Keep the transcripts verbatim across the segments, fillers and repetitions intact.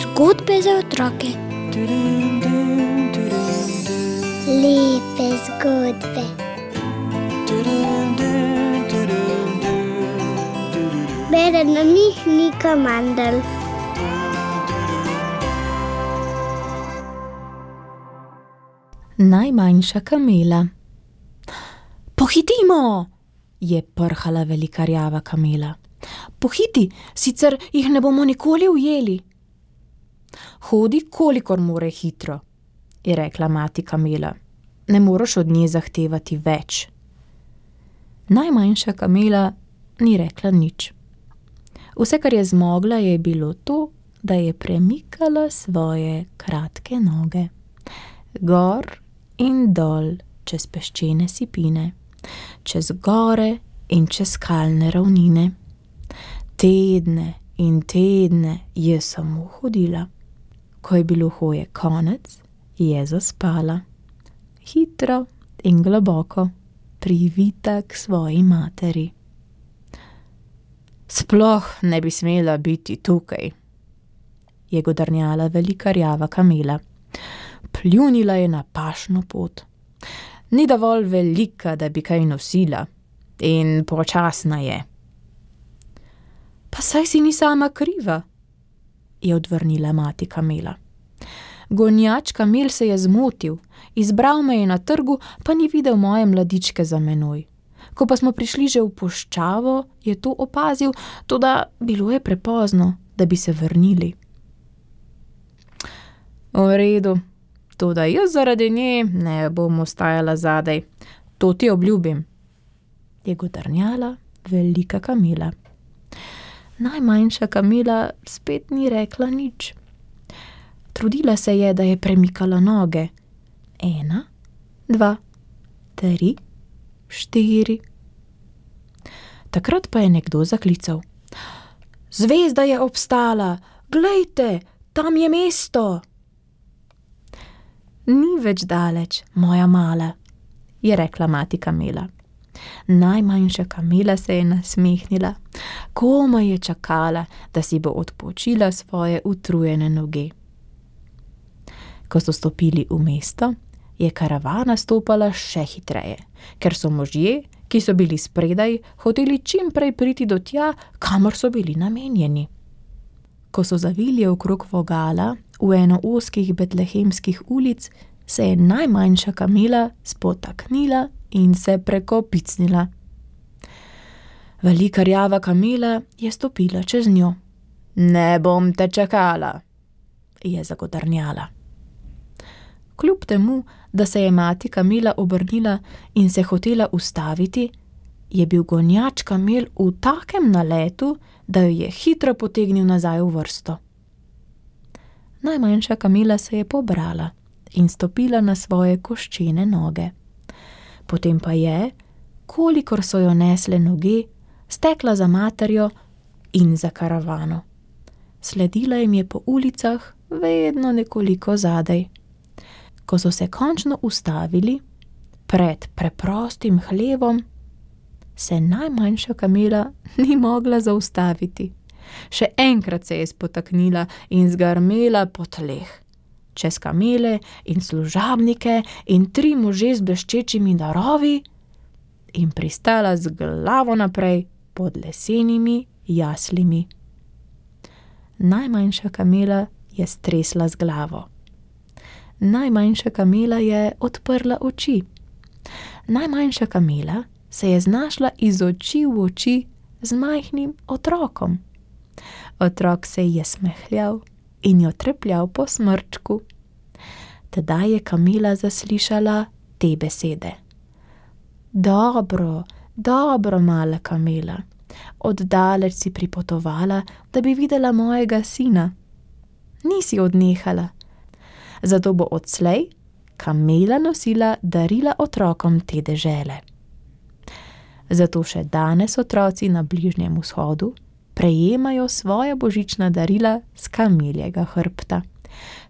Zgodbe za otroke. Lepe zgodbe. Bere nam jih Nika Mandl. Najmanjša kamela. Pohitimo, je prhala velika rjava kamela. Pohiti, sicer jih ne bomo nikoli ujeli. Hodi, kolikor more hitro, je rekla mati kamela. Ne moraš od nje zahtevati več. Najmanjša kamela ni rekla nič. Vse, kar je zmogla, je bilo to, da je premikala svoje kratke noge. Gor in dol, čez peščene sipine, čez gore in čez skalne ravnine. Tedne in tedne je samo hodila. Ko je bilo hoje konec, je zaspala. Hitro in globoko, privita k svoji materi. Sploh ne bi smela biti tukaj, je godrnjala velika rjava kamela. Pljunila je na pašno pot. Ni dovolj velika, da bi kaj nosila, in počasna je. Pa saj si ni sama kriva, je odvrnila mati kamela. Gonjač kamel se je zmotil, izbral me je na trgu, pa ni videl moje mladičke za menoj. Ko pa smo prišli že v puščavo, je to opazil, toda bilo je prepozno, da bi se vrnili. V redu, toda jaz zaradi nje ne bom ostajala zadaj. To ti obljubim, je godrnjala velika kamela. Najmanjša kamela spet ni rekla nič. Trudila se je, da je premikala noge. Ena, dva, tri, štiri. Takrat pa je nekdo zaklical. Zvezda je obstala, glejte, tam je mesto. Ni več daleč, moja mala, je rekla mati kamela. Najmanjša kamela se je nasmehnila. Komaj je čakala, da si bo odpočila svoje utrujene noge. Ko so stopili v mesto, je karavana stopala še hitreje, ker so možje, ki so bili spredaj, hoteli čim prej priti do tja, kamor so bili namenjeni. Ko so zavili okrog vogala v eno ozkih betlehemskih ulic, se je najmanjša kamela spotaknila in se prekopicnila. Velika rjava kamela je stopila čez njo. Ne bom te čakala, je zagodrnjala. Kljub temu, da se je mati kamela obrnila in se hotela ustaviti, je bil gonjač kamel v takem naletu, da jo je hitro potegnil nazaj v vrsto. Najmanjša kamela se je pobrala in stopila na svoje koščene noge. Potem pa je, kolikor so jo nesle noge, stekla za materjo in za karavano. Sledila jim je po ulicah, vedno nekoliko zadaj. Ko so se končno ustavili pred preprostim hlevom, se najmanjša kamela ni mogla zaustaviti. Še enkrat se je spotaknila in zgrmela po tleh. Čez kamele in služabnike in tri može z bleščečimi darovi in pristala z glavo naprej pod lesenimi jaslimi. Najmanjša kamela je stresla z glavo. Najmanjša kamela je odprla oči. Najmanjša kamela se je znašla iz oči v oči z majhnim otrokom. Otrok se je smehljal in jo trepljal po smrčku. Tedaj je kamela zaslišala te besede. Dobro, dobro, mala kamela, oddaleč si pripotovala, da bi videla mojega sina. Nisi odnehala. Zato bo odslej kamela nosila darila otrokom te dežele. Zato še danes otroci na Bližnjem vzhodu prejemajo svoja božična darila s kameljega hrbta.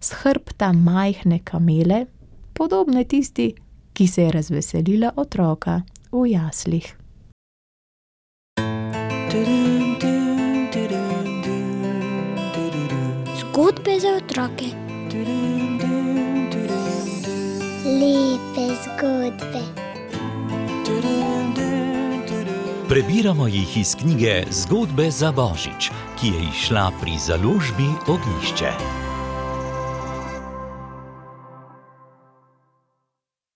S hrbta majhne kamele, podobne tisti, ki se je razveselila otroka v jaslih. Zgodbe za otroke. Lepe zgodbe. Prebiramo jih iz knjige Zgodbe za Božič, ki je izšla pri založbi Ognjišče.